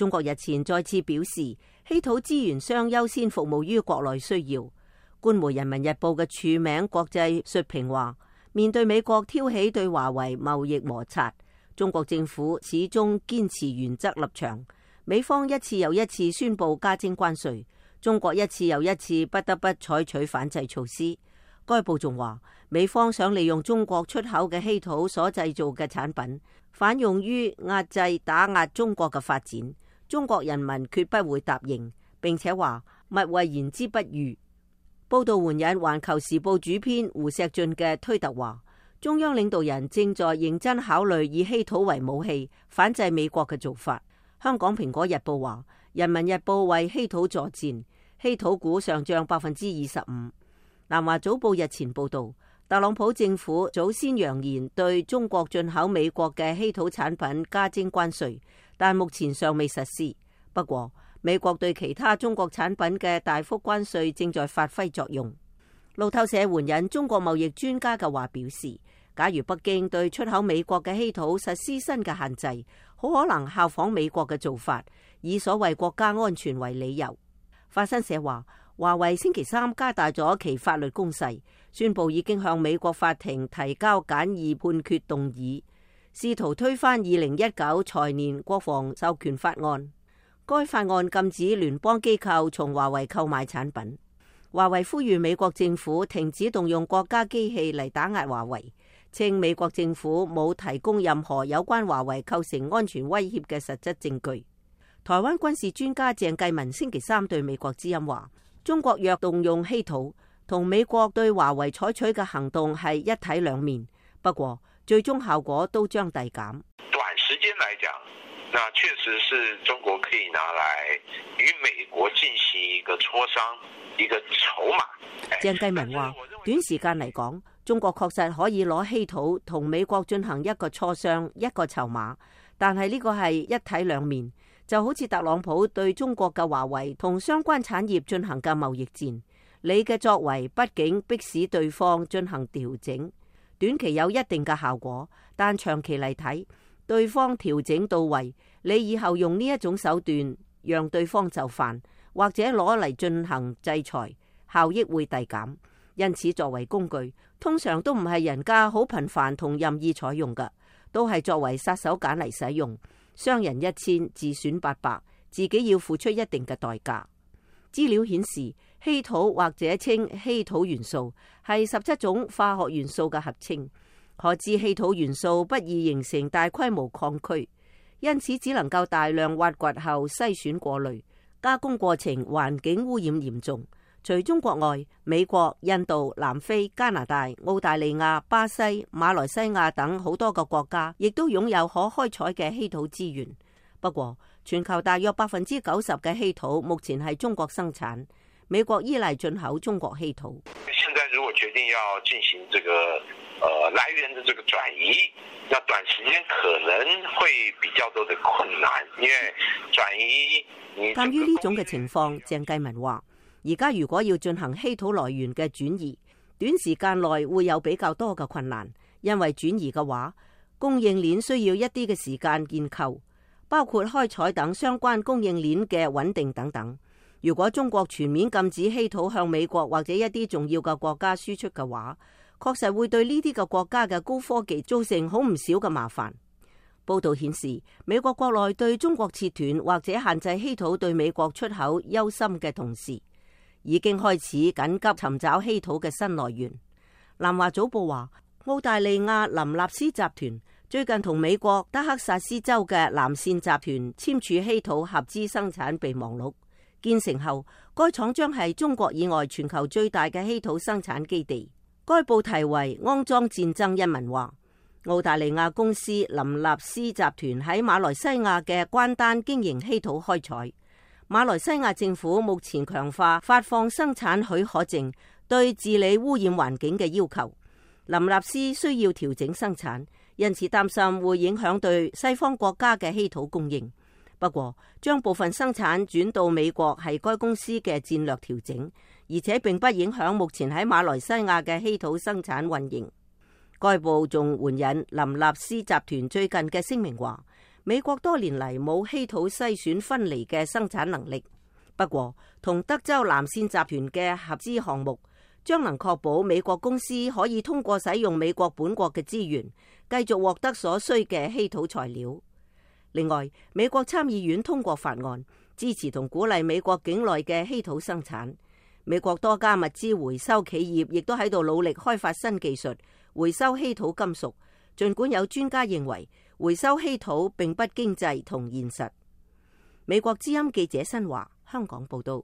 中國日前再次表示，稀土資源商優先服務於國內需要。官媒《人民日報》嘅署名國際述評話，面對美國挑起對華為貿易摩擦，中國政府始終堅持原則立場。美方一次又一次宣布加徵關稅，中國一次又一次不得不採取反制措施。該報仲話，美方想利用中國出口嘅稀土所製造嘅產品，反用於壓制打壓中國嘅發展。中國人民決不會答應，並且話勿謂言之不預。報道援引《環球時報》主編胡錫進嘅推特話，中央領導人正在認真考慮以稀土為武器反制美國嘅做法。香港《蘋果日報》話，《人民日報》為稀土助戰，稀土股上漲25%。南華早報日前報道，特朗普政府早先揚言對中國進口美國嘅稀土產品加徵關稅，但目前尚未實施。不過，美國對其他中國產品嘅大幅關稅正在發揮作用。路透社援引中國貿易專家嘅話表示，假如北京對出口美國嘅稀土實施新嘅限制，好可能效仿美國嘅做法，以所謂國家安全為理由。法新社話，華為星期三加大咗其法律攻勢，宣布已經向美國法庭提交簡易判決動議，試圖推翻2019財年國防授權法案。該法案禁止聯邦機構從華為購買產品。華為呼籲美國政府停止動用國家機器嚟打壓華為，稱美國政府冇提供任何有關華為構成安全威脅嘅實質證據。台灣軍事專家鄭繼文星期三對美國之音話，中國若動用稀土，同美國對華為採取嘅行動係一體兩面，不過最終效果都將遞減。短時間來講，那確實是中國可以拿來與美國進行一個磋商，一個籌碼。鄭繼文話，短時間嚟講，中國確實可以攞稀土同美國進行一個磋商，一個籌碼，但係呢個係一體兩面，就好似特朗普對中國嘅華為同相關產業進行嘅貿易戰，你嘅作為畢竟迫使對方進行調整，短期有一定嘅效果，但長期嚟睇，對方調整到位，你以後用呢一種手段讓對方就範，或者攞嚟進行制裁，效益會遞減。因此作為工具，通常都唔係人家好頻繁同任意採用嘅，都係作為殺手鐧嚟使用，傷人1000，自損800，自己要付出一定嘅代價。資料顯示，稀土或者稱稀土元素係17種化學元素嘅合稱。可知稀土元素不易形成大規模礦區，因此只能夠大量挖掘後篩選過濾，加工過程環境污染嚴重。除中國外，美國、印度、南非、加拿大、澳大利亞、巴西、馬來西亞等好多個國家，亦都擁有可開採嘅稀土資源。不過，全球大約90%嘅稀土目前係中國生產，美國依賴進口中國稀土。現在如果決定要進行這個來源的這個轉移，那短時間可能會比較多的困難，因為轉移。鑒於呢種嘅情況，鄭繼文話，而家如果要進行稀土來源嘅轉移，短時間內會有比較多嘅困難，因為轉移嘅話，供應鏈需要一啲嘅時間建構，包括開採等相關供應鏈嘅穩定等等。如果中國全面禁止稀土向美國或者一啲重要嘅國家輸出嘅話，確實會對呢啲嘅國家嘅高科技造成好唔少嘅麻煩。報道顯示，美國國內對中國切斷或者限制稀土對美國出口憂心嘅同時，已經開始緊急尋找稀土嘅新來源。南華早報話，澳大利亞林納斯集團最近同美國德克薩斯州嘅藍線集團簽署稀土合資生產備忘錄，建成後，該廠將係中國以外全球最大嘅稀土生產基地。該報題為《骯髒戰爭》一文話，澳大利亞公司林納斯集團喺馬來西亞嘅關丹經營稀土開採。馬來西亞政府目前強化發放生產許可證對治理污染環境嘅要求，林納斯需要調整生產，因此擔心會影響對西方國家嘅稀土供應。不過，將部分生產轉到美國係該公司嘅戰略調整，而且並不影響目前喺馬來西亞嘅稀土生產運營。該報仲援引林納斯集團最近嘅聲明話，美國多年嚟冇稀土篩選分離嘅生產能力，不過同德州南線集團嘅合資項目將能確保美國公司可以通過使用美國本國嘅資源，繼續獲得所需嘅稀土材料。另外，美國參議院通過法案，支持同鼓勵美國境內嘅稀土生產。美國多家物資回收企業亦都喺度努力開發新技術，回收稀土金屬。儘管有專家認為回收稀土並不經濟同現實。美國之音記者新華香港報道。